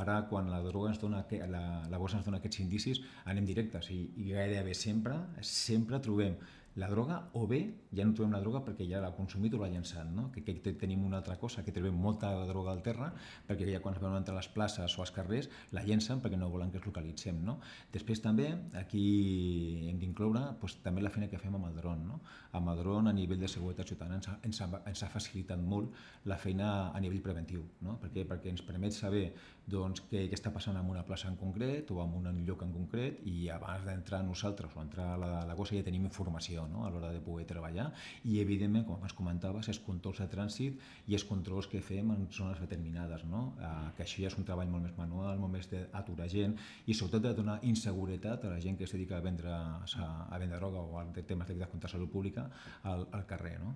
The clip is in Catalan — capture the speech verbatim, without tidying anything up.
Ara, quan la droga ens dona, la, la bossa ens dona aquests indicis, anem directes i, i gairebé sempre, sempre trobem la droga, o bé ja no trobem la droga perquè ja l'ha consumit o l'ha llançat, no? Que, que tenim una altra cosa, que trobem molta droga al terra, perquè ja quan es veuen entre les places o als carrers la llencen perquè no volen que es localitzem, no? Després també aquí hem d'incloure doncs, també la feina que fem amb el dron, no? Amb el dron a nivell de seguretat ciutadana ens ha, ens ha, ens ha facilitat molt la feina a nivell preventiu, no? Per què? Perquè ens permet saber doncs, què, què està passant en una plaça en concret o en un lloc en concret, i abans d'entrar nosaltres o entrar a la, a la gossa ja tenim informació, no? A l'hora de poder treballar, i evidentment, com ens comentaves, els controls de trànsit i els controls que fem en zones determinades, no? Eh, que això ja és un treball molt més manual, molt més d'aturar gent i sobretot de donar inseguretat a la gent que es dedica a vendre, a, a vendre droga o a temes de contra salut pública al, al carrer, no?